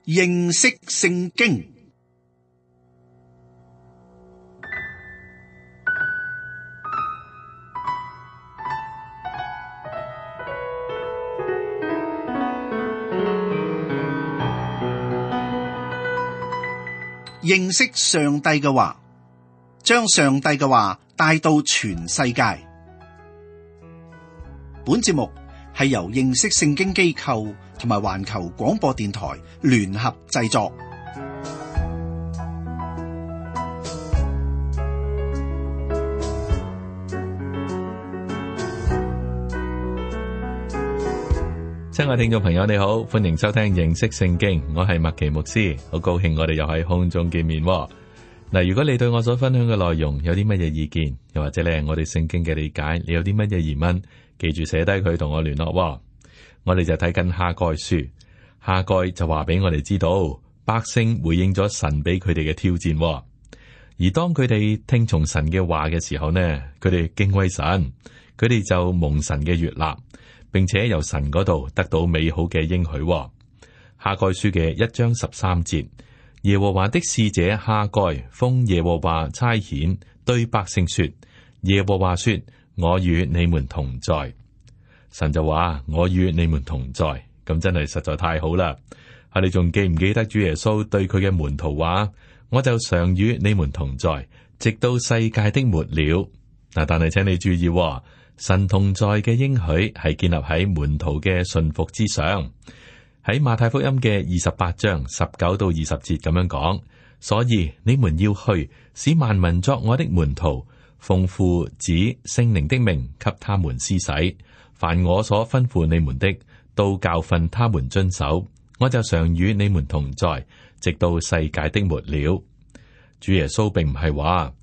認識聖經。認識上帝嘅話，將上帝嘅話帶到全世界。本節目係由認識聖經機構同埋環球廣播電台聯合製作。親愛聽眾朋友你好，歡迎收聽認識聖經，我係麥奇牧師，好高興我哋又喺空中見面。嗱，如果你對我所分享嘅內容有啲乜嘢意見，又或者咧我哋聖經嘅理解，你有啲乜嘢疑問，記住寫低佢同我聯絡。我哋就睇緊哈該書，哈該就話俾我哋知道，百姓回應咗神俾佢哋嘅挑戰，而當佢哋聽從神嘅話嘅時候呢，佢哋敬畏神，佢哋就蒙神嘅悅納，並且由神嗰度得到美好嘅應許。哈該書嘅1章13節，耶和華的使者哈該奉耶和華差遣，對百姓說：耶和華說，我與你們同在。神就話：我與你們同在，咁真係實在太好啦！你仲記唔記得主耶穌對佢嘅門徒話：我就常與你們同在，直到世界的末了。但係請你注意，神同在嘅應許係建立喺門徒嘅信服之上。喺馬太福音嘅28章19到20節咁樣講，所以你們要去，使萬民作我的門徒，奉父子聖靈的名給他們施洗。凡我所吩咐你們的，都教訓他們遵守。我就常與你們同在，直到世界的末了。主耶穌並唔係話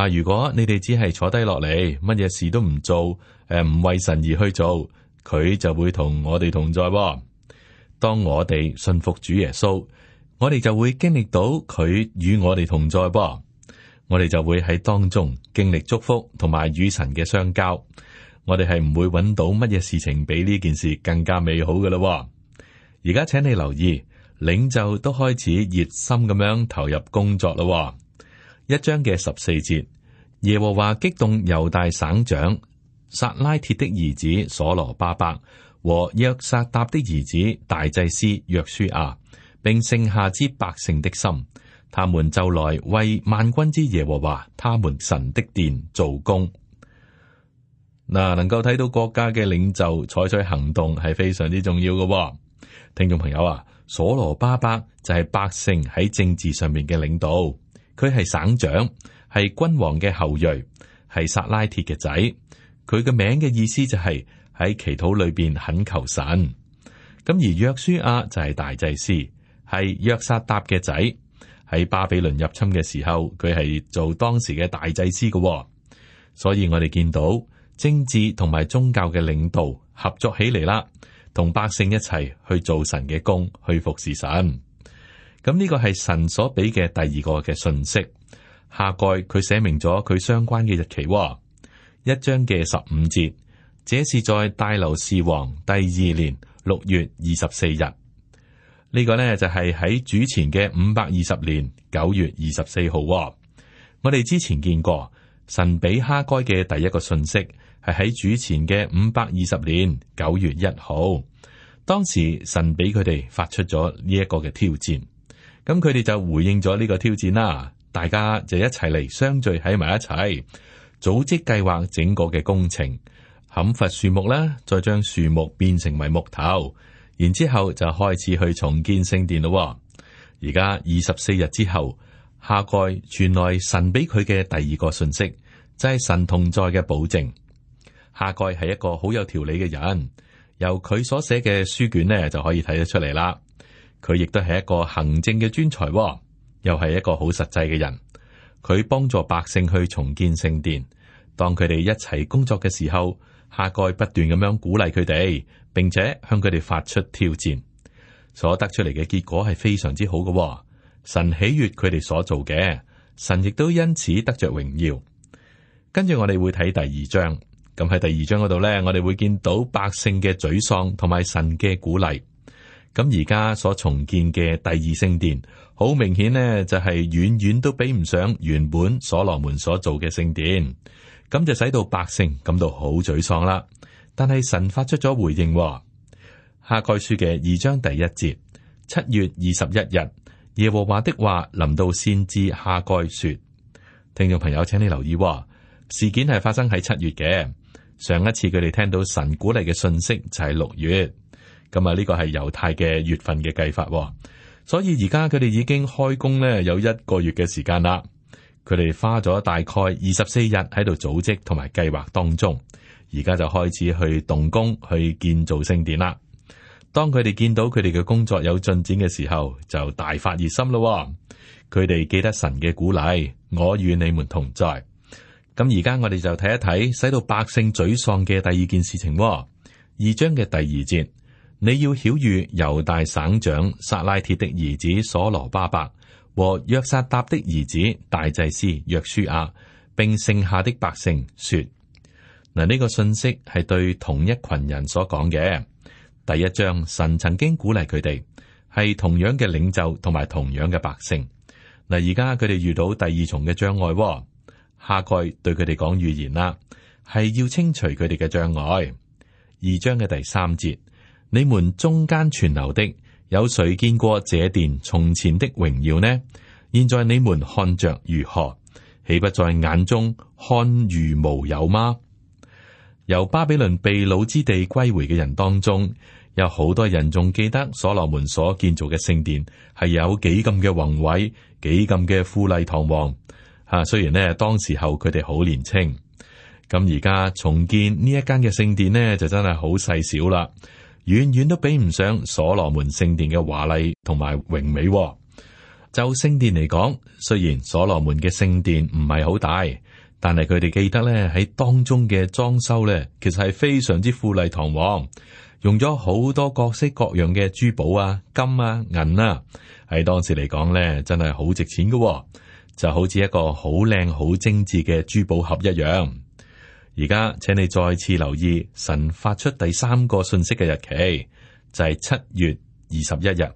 如果你哋只係坐低落嚟，乜嘢事都唔做，唔為神而去做，佢就會同我哋同在。當我哋信服主耶穌，我哋就會經歷到佢與我哋同在。我哋就會喺當中經歷祝福同埋與神嘅相交。我哋係唔會揾到乜嘢事情比呢件事更加美好嘅咯。而家請你留意，領袖都開始熱心咁樣投入工作咯。1章嘅14節，耶和華激動猶大省長撒拉鐵的兒子所羅巴伯和約撒答的兒子大祭司約書亞，並剩下之百姓的心，他們就來為萬軍之耶和華他們神的殿做工。能夠睇到國家嘅領袖採取行動係非常之重要嘅。聽眾朋友所羅巴伯就係百姓喺政治上面嘅領導，佢係省長，係君王嘅後裔，係撒拉鐵嘅仔。佢嘅名嘅意思就係喺祈禱裏邊懇求神。咁而約書亞就係大祭司，係約撒答嘅仔。喺巴比倫入侵嘅時候，佢係做當時嘅大祭司嘅。所以我哋見到政治同埋宗教嘅領導合作起嚟啦，同百姓一齊去做神嘅工，去服侍神。咁呢個係神所俾嘅第二個嘅信息。哈該佢寫明咗佢相關嘅日期，1章嘅15節，這是在大流士王第2年6月24日。呢個呢就係喺主前嘅520年9月24號。我哋之前見過神俾哈該嘅第一個信息係喺主前嘅520年9月1號，當時神俾佢哋發出咗呢一個嘅挑戰，咁佢哋就回應咗呢個挑戰啦，大家就一齊嚟相聚喺埋一齊，組織計劃整個嘅工程，砍伐樹木啦，再將樹木變成為木頭，然之後就開始去重建聖殿咯。而家24日之後，哈該傳來神俾佢嘅第二個信息，就係神同在嘅保證。哈該係一個好有條理嘅人，由佢所寫嘅書卷呢就可以睇得出嚟啦。佢亦都係一個行政嘅專才，又係一個好實際嘅人。佢幫助百姓去重建聖殿。當佢哋一齊工作嘅時候，哈該不斷咁樣鼓勵佢哋，並且向佢哋發出挑戰。所得出嚟嘅結果係非常之好嘅。神喜悅佢哋所做嘅，神亦都因此得着榮耀。跟住我哋會睇第2章。咁喺第2章嗰度呢，我哋會見到百姓嘅沮喪同埋神嘅鼓勵。咁而家所重建嘅第二聖殿，好明顯呢，就係遠遠都比唔上原本所羅門所做嘅聖殿，咁就使到百姓感到好沮喪啦。但係神發出咗回應，哈該書嘅2章第1節，7月21日，耶和華的話臨到先知哈該說。聽眾朋友，請你留意，事件係發生喺7月嘅。上一次佢哋聽到神鼓勵嘅信息就係6月，咁啊呢個係猶太嘅月份嘅計法，所以而家佢哋已經開工咧有1個月嘅時間啦。佢哋花咗大概24日喺度組織同埋計劃當中，而家就開始去動工去建造聖殿啦。當佢哋見到佢哋嘅工作有進展嘅時候，就大發熱心咯。佢哋記得神嘅鼓勵，我與你們同在。咁而家我哋就睇一睇使到百姓沮喪嘅第二件事情。2章嘅第2節，你要曉諭猶大省長撒拉鐵的兒子所羅巴伯和約撒答的兒子大祭司約書亞，並剩下的百姓說。嗱，呢個信息係對同一群人所講嘅。第1章神曾經鼓勵佢哋，係同樣嘅領袖同埋同樣嘅百姓。嗱，而家佢哋遇到第2重嘅障礙，哈該對佢哋講預言啦，係要清除佢哋嘅障礙。2章嘅第3節，你們中間存留的，有誰見過這殿從前的榮耀呢？現在你們看着如何？豈不在眼中看如無有嗎？由巴比倫被擄之地歸回嘅人當中，有好多人仲記得所羅門所建造嘅聖殿係有幾咁嘅宏偉，幾咁嘅富麗堂皇。雖然呢當時候佢哋好年輕，咁而家重建呢一間嘅聖殿呢，就真係好細小啦，遠遠都比唔上所羅門聖殿嘅華麗同埋榮美。就聖殿嚟講，雖然所羅門嘅聖殿唔係好大，但係佢哋記得咧喺當中嘅裝修咧，其實係非常之富麗堂皇，用咗好多各式各樣嘅珠寶啊、金啊、銀啊，喺當時嚟講咧，真係好值錢嘅，就好似一個好靚、好精緻嘅珠寶盒一樣。而家請你再次留意神發出第3個信息嘅日期，就係7月21日。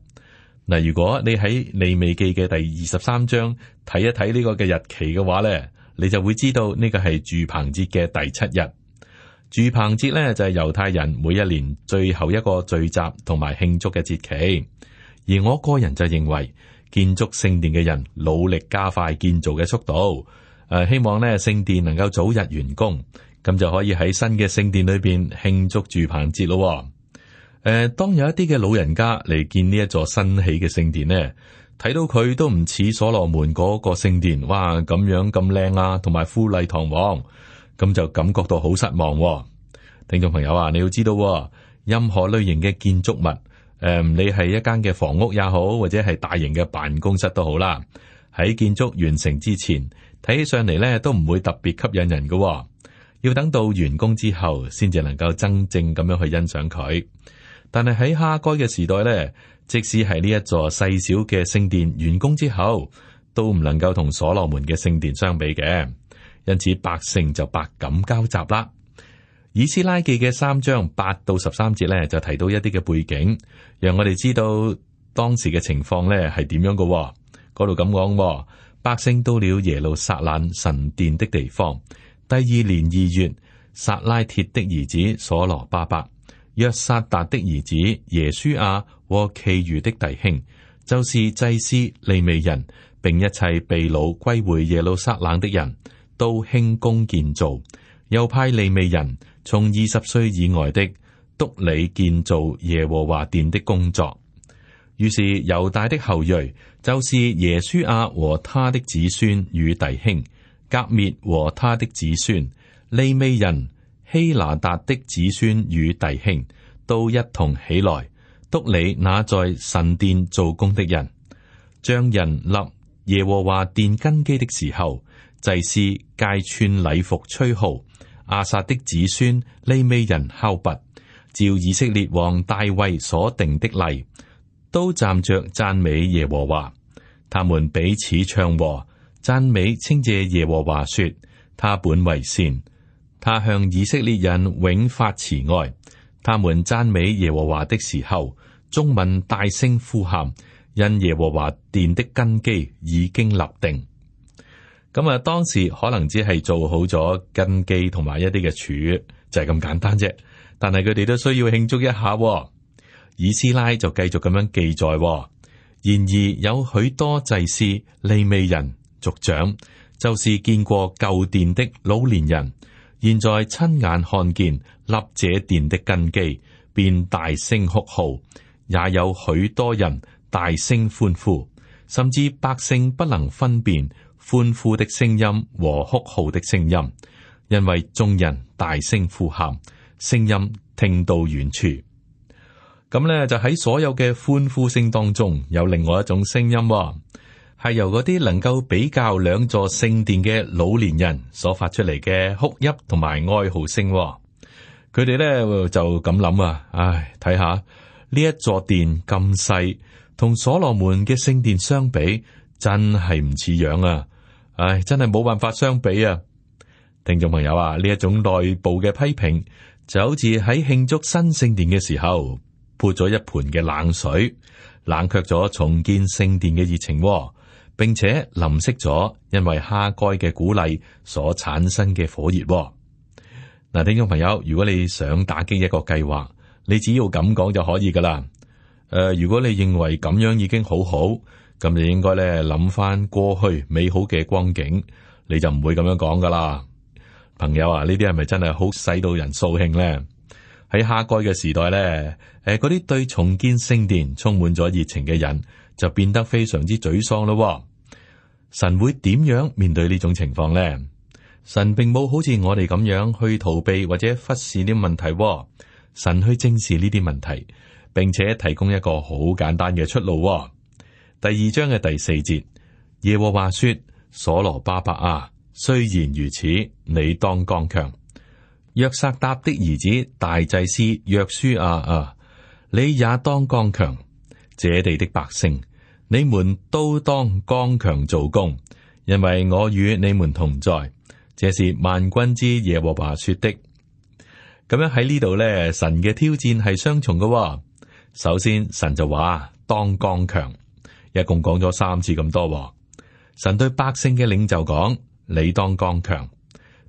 嗱，如果你喺利未記嘅第23章睇一睇呢個嘅日期嘅話咧，你就會知道呢個係住棚節嘅第7日。住棚節咧就係猶太人每一年最後一個聚集同埋慶祝嘅節期。而我個人就認為，建築聖殿嘅人努力加快建造嘅速度，希望咧聖殿能夠早日完工，咁就可以喺新嘅聖殿裏邊慶祝住棚節咯。當有一啲嘅老人家嚟見呢一座新起嘅聖殿呢，睇到佢都唔似所羅門嗰個聖殿，哇咁樣咁靚啊，同埋富麗堂皇，咁就感覺到好失望。聽眾朋友啊，你要知道，任何類型嘅建築物，你係一間嘅房屋也好，或者係大型嘅辦公室都好啦，喺建築完成之前，睇起上嚟咧都唔會特別吸引人嘅，要等到完工之後，先至能夠真正咁樣去欣賞佢。但係喺哈該嘅時代咧，即使係呢一座細小嘅聖殿完工之後，都唔能夠同所羅門嘅聖殿相比嘅，因此百姓就百感交集啦。以斯拉記嘅3章8到13節咧，就提到一啲嘅背景，讓我哋知道當時嘅情況咧係點樣嘅。嗰度咁講，百姓到了耶路撒冷神殿的地方，第2年2月，撒拉鐵的兒子所羅巴伯、約撒達的兒子耶書亞和其餘的弟兄，就是祭司、利未人，並一切被擄歸回耶路撒冷的人，都興工建造，又派利未人從20歲以外的督理建造耶和華殿的工作。於是猶大的後裔，就是耶書亞和他的子孫與弟兄，革滅和他的子孫，利未人希拿達的子孫與弟兄，都一同起來督理那在神殿做工的人。將人立耶和華殿根基的時候，祭司皆穿禮服吹號，亞薩的子孫利未人敲鈸，照以色列王大衛所定的例，都站着讚美耶和華。他們彼此唱和，讚美稱謝耶和華，說：他本為善，他向以色列人永發慈愛。他們讚美耶和華的時候，眾民大聲呼喊，因耶和華殿的根基已經立定。咁啊，當時可能只係做好咗根基同埋一啲嘅柱，就係咁簡單啫。但係佢哋都需要慶祝一下。以斯拉就繼續咁樣記載。然而有許多祭司、利未人、族長，就是見過舊殿的老年人，現在親眼看見立這殿的根基，便大聲哭號，也有許多人大聲歡呼，甚至百姓不能分辨歡呼的聲音和哭號的聲音，因為眾人大聲呼喊，聲音聽到遠處。咁呢，就喺所有嘅歡呼聲當中，有另外一種聲音，係由嗰啲能夠比較兩座聖殿嘅老年人所發出嚟嘅哭泣同埋哀號聲。佢哋呢就咁諗啊，唉，睇下呢一座殿咁細，同所羅門嘅聖殿相比，真係唔似樣啊！唉，真係冇辦法相比啊！聽眾朋友啊，呢一種內部嘅批評，就好似喺慶祝新聖殿嘅時候，潑咗一盆嘅冷水，冷卻咗重建聖殿嘅熱情，並且淋熄咗因為哈該嘅鼓勵所產生嘅火熱。嗱，聽眾朋友，如果你想打擊一個計劃，你只要咁講就可以噶啦。如果你認為咁樣已經好好，咁你應該咧諗翻過去美好嘅光景，你就唔會咁樣講噶啦。朋友啊，呢啲係咪真係好使到人掃興咧？喺哈該嘅時代咧，嗰啲對重建聖殿充滿咗熱情嘅人，就變得非常之沮喪咯。神會點樣面對呢種情況咧？神並冇好似我哋咁樣去逃避或者忽視啲問題，神去正視呢啲問題，並且提供一個好簡單嘅出路。第二章嘅第四節，耶和華說：所羅巴伯啊，雖然如此，你當剛強。約撒答的兒子大祭司約書亞啊，你也當剛強。這地的百姓，你們都當剛強做工，因為我與你們同在。這是萬軍之耶和華說的。咁樣喺呢度咧，神嘅挑戰係雙重嘅。首先，神就話當剛強，一共講咗3次咁多。神對百姓嘅領袖講：你當剛強。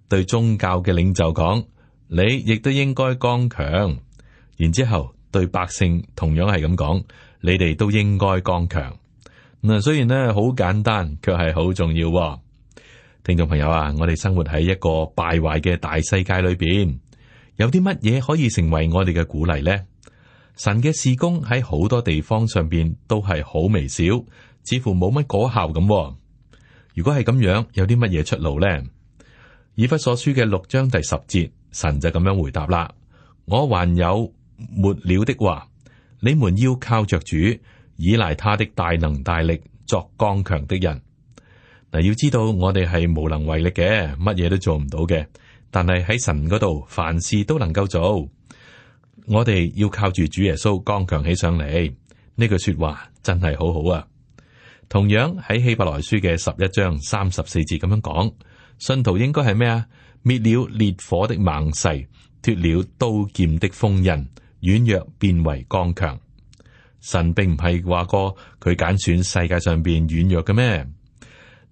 對宗教嘅領袖講：你亦都應該剛強。然之後對百姓同樣係咁講：你哋都應該剛強。嗱，雖然咧好簡單，卻係好重要。聽眾朋友啊，我哋生活喺一個敗壞嘅大世界裏邊，有啲乜嘢可以成為我哋嘅鼓勵呢？神嘅事工喺好多地方上邊都係好微小，似乎冇乜果效咁。如果係咁樣，有啲乜嘢出路呢？以弗所書嘅6章第10節，神就咁樣回答啦：我還有末了的話，你們要靠着主，倚賴他的大能大力，作剛強的人。嗱，要知道我哋係無能為力嘅，乜嘢都做唔到嘅。但係喺神嗰度，凡事都能夠做。我哋要靠住主耶穌剛強起上嚟。呢句說話真係好好啊！同樣喺希伯來書嘅11章34節咁樣講，信徒應該係咩啊？滅了烈火的猛勢，脫了刀劍的鋒刃，軟弱變為剛強。神並唔係話過佢揀選世界上邊軟弱嘅咩？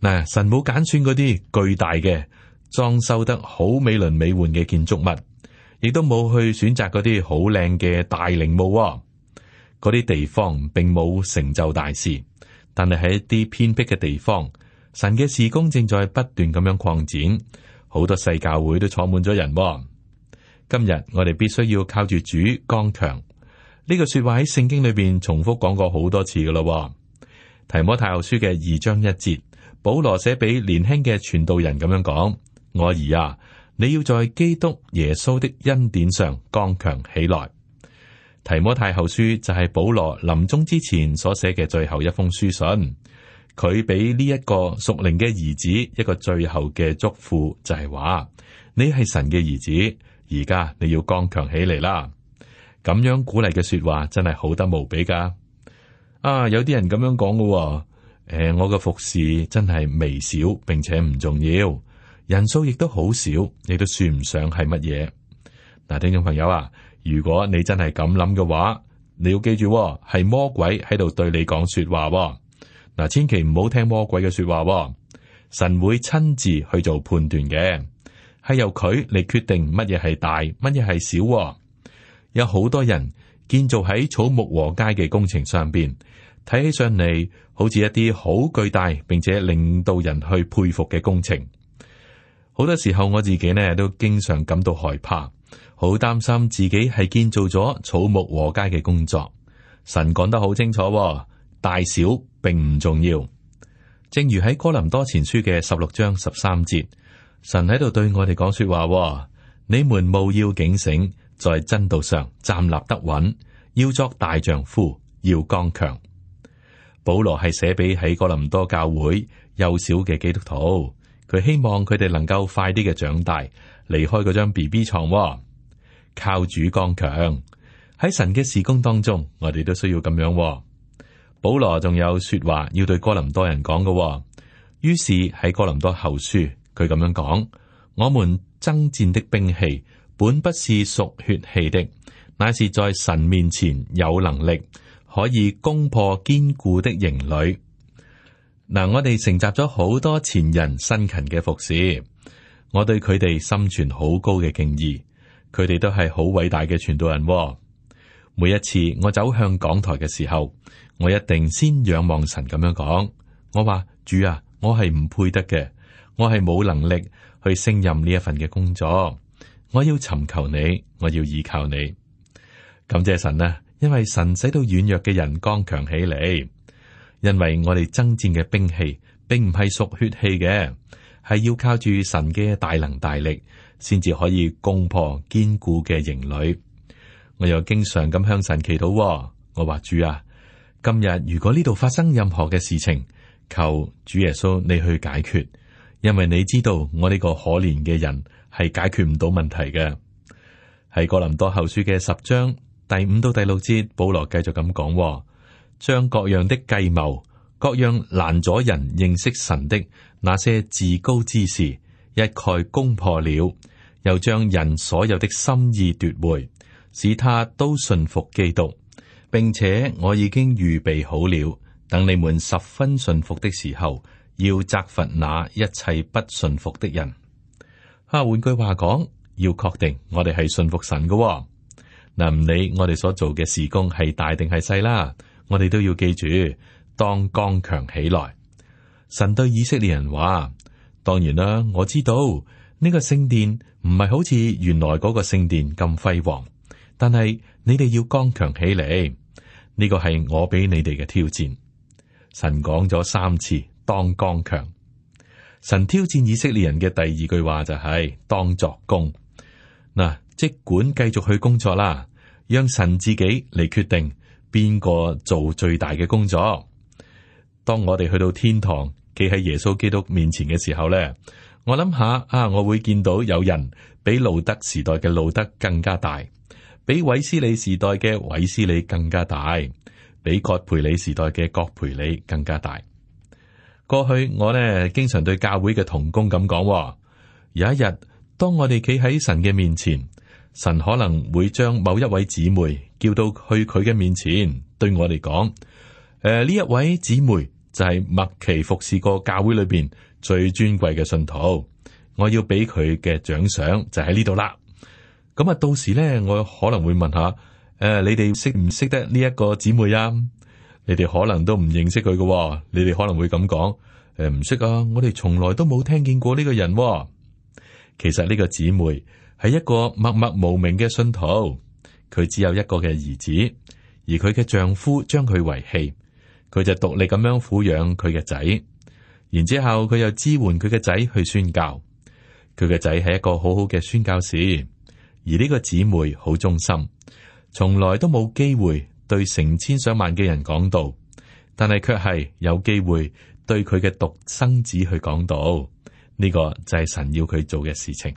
嗱，神冇揀選嗰啲巨大嘅裝修得好美輪美奐嘅建築物，亦都冇去選擇嗰啲好靚嘅大陵墓。嗰啲地方並冇成就大事，但係喺一啲偏僻嘅地方，神嘅事工正在不斷咁樣擴展，好多細教會都坐滿咗人。今日我哋必須要靠住主剛強。呢個說話喺聖經裏邊重複講過好多次噶啦。提摩太後書嘅2章1節。保羅寫俾年輕嘅傳道人咁樣講：我兒啊，你要在基督耶穌的恩典上剛強起來。提摩太後書就係保羅臨終之前所寫嘅最後一封書信，佢俾呢一個屬靈嘅兒子一個最後嘅祝福，就係話：你係神嘅兒子，而家你要剛強起嚟啦。咁樣鼓勵嘅說話真係好得無比噶。有啲人咁樣講嘅。我嘅服侍真係微小，並且唔重要，人數亦都好少，亦都算唔上係乜嘢。嗱，聽眾朋友啊，如果你真係咁諗嘅話，你要記住係魔鬼喺度對你講說話。嗱，千祈唔好聽魔鬼嘅說話。神會親自去做判斷嘅，係由佢嚟決定乜嘢係大，乜嘢係小。有好多人建造喺草木禾稭嘅工程上邊，睇起上嚟好似一啲好巨大，並且令到人去佩服嘅工程。好多時候我自己呢都經常感到害怕，好擔心自己係建造咗草木禾稭嘅工作。神講得好清楚，大小並唔重要。正如喺哥林多前書嘅16章13節，神喺度對我哋講說話：你們務要警醒，在真道上站立得穩，要作大丈夫，要剛強。保羅係寫俾喺哥林多教會幼小嘅基督徒，佢希望佢哋能夠快啲嘅長大，離開嗰張 BB 床，靠主剛強。喺神嘅事工當中，我哋都需要咁樣。保羅仲有說話要對哥林多人講嘅，於是喺哥林多後書佢咁樣講：我們爭戰的兵器本不是屬血氣的，乃是在神面前有能力，可以攻破堅固的營壘。嗱，我哋承襲咗好多前人辛勤嘅服侍，我對佢哋心存好高嘅敬意，佢哋都係好偉大嘅傳道人。每一次我走向講台嘅時候，我一定先仰望神咁樣講，我話主啊，我係唔配得嘅，我係冇能力去勝任呢一份嘅工作，我要尋求你，我要依靠你。感謝神啊，因為神使到軟弱嘅人剛強起嚟，因為我哋爭戰嘅兵器並唔係屬血氣嘅，係要靠住神嘅大能大力，先至可以攻破堅固嘅營壘。我又經常咁向神祈禱，我話主啊，今日如果呢度發生任何嘅事情，求主耶穌你去解決，因為你知道我呢個可憐嘅人係解決唔到問題嘅。喺哥林多後書嘅10章第5到第6節，保羅繼續咁講，將各樣的計謀、各樣攔阻人認識神的那些自高之事一概攻破了，又將人所有的心意奪回，使他都信服基督，並且我已經預備好了，等你們十分信服的時候，要責罰那一切不信服的人。換句話講，要確定我哋係信服神嘅。嗱，唔理我哋所做嘅事工係大定係細啦，我哋都要記住，當剛強起來。神對以色列人話：當然啦，我知道呢個聖殿唔係好似原來嗰個聖殿咁輝煌。但係你哋要剛強起嚟，呢個係我俾你哋嘅挑戰。神講咗3次當剛強。神挑戰以色列人嘅第2句話就係當作工。嗱，即管繼續去工作啦，讓神自己嚟決定邊個做最大嘅工作。當我哋去到天堂，企喺耶穌基督面前嘅時候咧，我諗下我會見到有人比路德時代嘅路德更加大，比韋斯利時代嘅韋斯利更加大，比葛培理時代嘅葛培理更加大。過去我呢經常對教會嘅同工咁講，有一日當我哋企喺神嘅面前，神可能會將某一位姊妹叫到去佢嘅面前，對我哋講：呢一位姊妹就係麥奇服侍過教會裏邊最尊貴嘅信徒，我要俾佢嘅獎賞就喺呢度啦。咁到時咧，我可能會問下，你哋識唔識得呢一個姊妹啊？你哋可能都唔認識佢嘅，你哋可能會咁講，唔識啊，我哋從來都冇聽見過呢個人。其實呢個姊妹係一個默默無名嘅信徒，佢只有一個嘅兒子，而佢嘅丈夫將佢遺棄，佢就獨力咁樣撫養佢嘅仔，然之後佢又支援佢嘅仔去宣教，佢嘅仔係一個好好嘅宣教士。而呢個姊妹好忠心，從來都冇機會對成千上萬嘅人講道，但係卻係有機會對佢嘅獨生子去講道。呢個就係神要佢做嘅事情。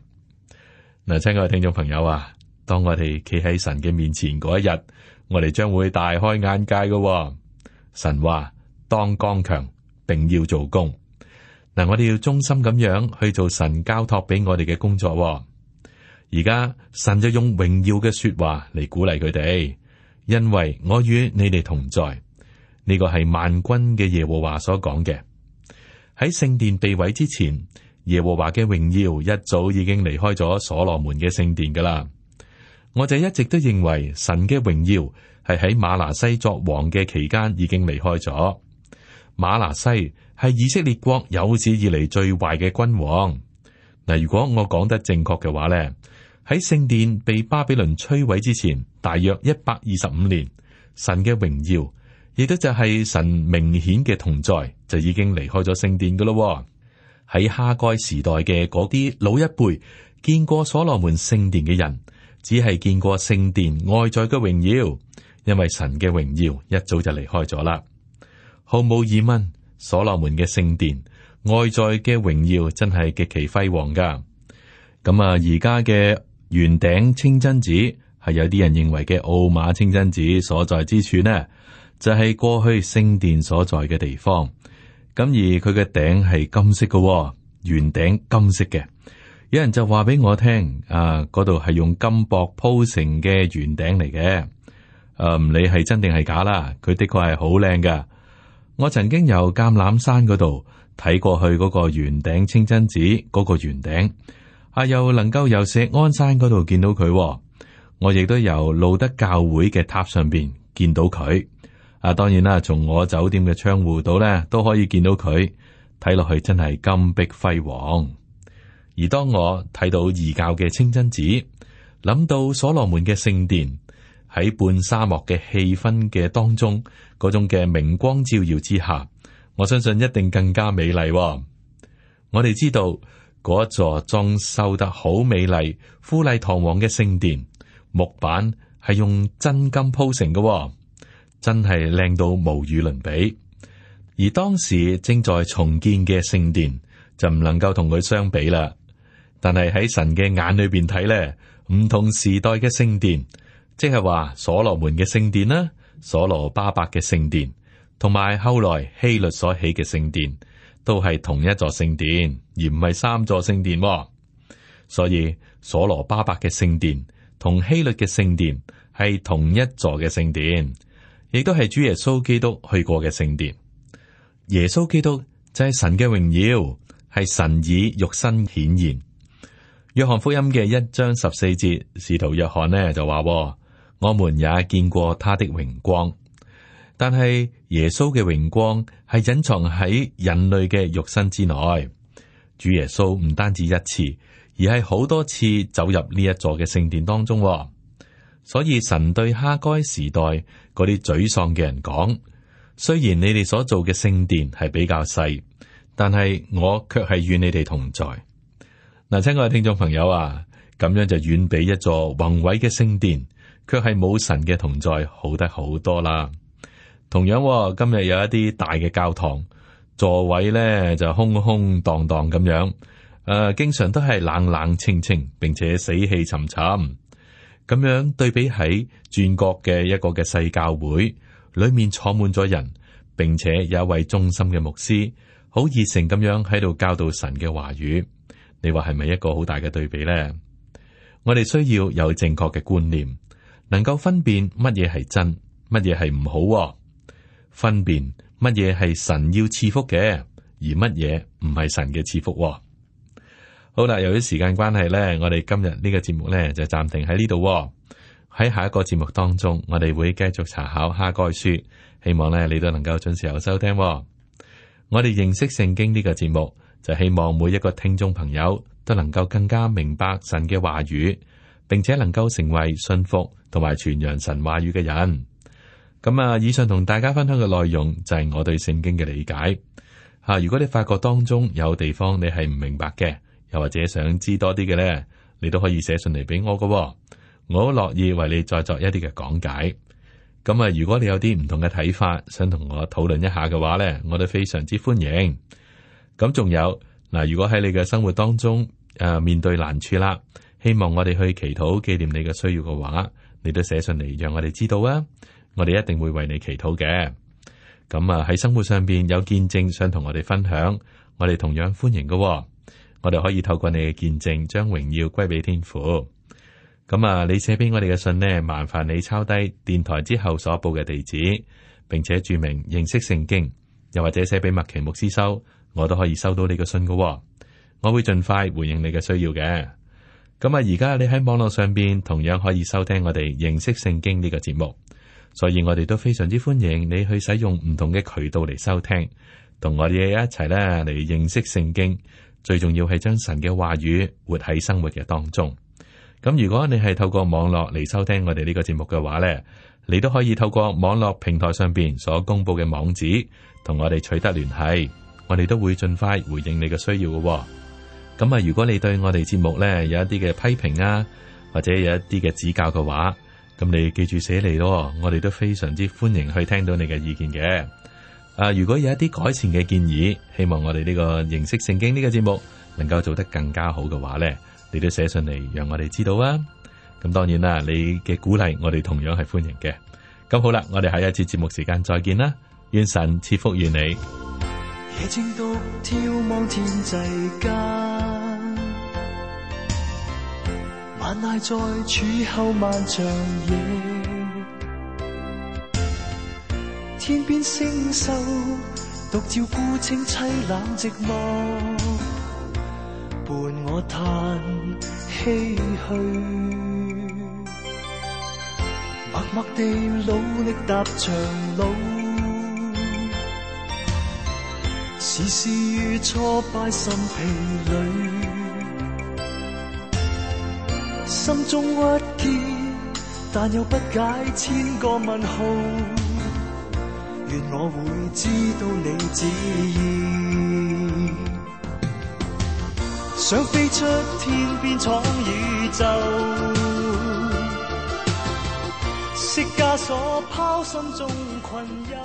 嗱，親愛嘅聽眾朋友啊，當我哋企喺神嘅面前嗰一日，我哋將會大開眼界嘅。神話當剛強，並要做工。嗱，我哋要忠心咁樣去做神交託俾我哋嘅工作。而家神就用榮耀嘅說話嚟鼓勵佢哋，因為我與你哋同在。呢個係萬軍嘅耶和華所講嘅。喺聖殿被毀之前，耶和華嘅榮耀一早已經離開咗所羅門嘅聖殿噶啦。我就一直都認為神嘅榮耀係喺瑪拿西作王嘅期間已經離開咗。瑪拿西係以色列國有史以嚟最壞嘅君王。嗱，如果我講得正確嘅話咧，喺聖殿被巴比倫摧毀之前，大約125年，神嘅榮耀，亦都就係神明顯嘅同在，就已經離開咗聖殿噶咯。喺哈該時代嘅嗰啲老一輩見過所羅門聖殿嘅人，只係見過聖殿外在嘅榮耀，因為神嘅榮耀一早就離開咗啦。毫無疑問，所羅門嘅聖殿外在嘅榮耀真係極其輝煌噶。咁啊，而家嘅圓頂清真寺係有啲人認為嘅奧馬清真寺所在之處呢，就係過去聖殿所在嘅地方。咁而佢嘅頂係金色嘅，圓頂金色嘅。有人就話俾我聽，嗰度係用金箔鋪成嘅圓頂嚟嘅。唔理係真定係假啦，佢的確係好靚噶。我曾經由橄欖山嗰度睇過去嗰個圓頂清真寺嗰個圓頂，又能夠由錫安山嗰度見到佢。我亦都由路德教會嘅塔上邊見到佢。當然啦，從我酒店嘅窗戶度咧都可以見到佢，睇落去真係金碧輝煌。而當我睇到異教嘅清真寺，諗到所羅門嘅聖殿喺半沙漠嘅氣氛嘅當中，嗰種嘅明光照耀之下，我相信一定更加美麗。我哋知道嗰一座裝修得好美麗、富麗堂皇嘅聖殿，木板係用真金鋪成嘅。真係靚到無與倫比，而當時正在重建嘅聖殿就唔能夠同佢相比啦。但係喺神嘅眼裏邊睇咧，唔同時代嘅聖殿，即係話所羅門嘅聖殿啦，所羅巴伯嘅聖殿，同埋後來希律所起嘅聖殿，都係同一座聖殿，而唔係三座聖殿。所以所羅巴伯嘅聖殿同希律嘅聖殿係同一座嘅聖殿。亦都係主耶穌基督去過嘅聖殿。耶穌基督就係神嘅榮耀，係神以肉身顯現。約翰福音嘅1章14節，使徒約翰呢就話：我們也見過他的榮光。但係耶穌嘅榮光係隱藏喺人類嘅肉身之內。主耶穌唔單止一次，而係好多次走入呢一座嘅聖殿當中。所以神對哈該時代嗰啲沮喪嘅人講：雖然你哋所做嘅聖殿係比較細，但係我卻係與你哋同在。嗱，親愛嘅聽眾朋友啊，咁樣就遠比一座宏偉嘅聖殿，卻係冇神嘅同在好得好多啦。同樣，今日有一啲大嘅教堂，座位咧就空空蕩蕩咁樣，經常都係冷冷清清，並且死氣沉沉。咁樣對比喺轉角嘅一個嘅細教會，裏面坐滿咗人，並且有一位忠心嘅牧師，好熱誠咁樣喺度教導神嘅話語。你話係咪一個好大嘅對比呢？我哋需要有正確嘅觀念，能夠分辨乜嘢係真，乜嘢係唔好，分辨乜嘢係神要賜福嘅，而乜嘢唔係神嘅賜福。好啦，由於時間關係呢，我哋今日呢個節目呢就暫停喺呢度。喺下一個節目當中，我哋會繼續查考哈該書，希望呢你都能夠準時有收聽。我哋認識聖經呢個節目，就希望每一個聽眾朋友都能夠更加明白神嘅話語，並且能夠成為信服同埋傳揚神話語嘅人。咁以上同大家分享嘅內容就係我對聖經嘅理解。如果你發覺當中有地方你係唔明白嘅，又或者想知多啲嘅咧，你都可以寫信嚟俾我㗎，我好樂意為你再作一啲嘅講解。咁如果你有啲唔同嘅睇法，想同我討論一下嘅話咧，我都非常之歡迎。咁仲有嗱，如果喺你嘅生活當中面對難處啦，希望我哋去祈禱紀念你嘅需要嘅話，你都寫信嚟讓我哋知道啊，我哋一定會為你祈禱嘅。咁喺生活上邊有見證想同我哋分享，我哋同樣歡迎㗎。我哋可以透過你嘅見證，將榮耀歸俾天父。咁啊，你寫俾我哋嘅信呢，麻煩你抄低電台之後所報嘅地址，並且注明認識聖經，又或者寫俾麥奇牧師收，我都可以收到你嘅信㗎。我會盡快回應你嘅需要嘅。咁啊，而家你喺網絡上邊同樣可以收聽我哋認識聖經呢個節目，所以我哋都非常之歡迎你去使用唔同嘅渠道嚟收聽，同我哋一齊咧嚟認識聖經。最重要係將神嘅話語活喺生活嘅當中。咁如果你係透過網絡嚟收聽我哋呢個節目嘅話呢，你都可以透過網絡平台上邊所公布嘅網址同我哋取得聯繫，我哋都會盡快回應你嘅需要嘅。咁啊，如果你對我哋節目呢有一啲嘅批評啊，或者有一啲嘅指教嘅話，咁你記住寫嚟咯，我哋都非常之歡迎去聽到你嘅意見嘅。如果有一啲改善嘅建議，希望我哋呢個認識聖經呢個節目能夠做得更加好嘅話呢，你都寫信嚟讓我哋知道啊！咁當然啦，你嘅鼓勵我哋同樣係歡迎嘅。咁好啦，我哋下一次節目時間再見啦，願神賜福於你。夜靜獨眺望天際間，晚挨在柱後漫長夜，天邊星宿獨照孤清凄冷寂寞，伴我嘆唏噓，默默地努力踏長路，時時遇挫敗心疲累，心中鬱結，但又不解千個問號，願我會知道你旨意，想飛出天邊闖宇宙，釋枷鎖拋心中困憂。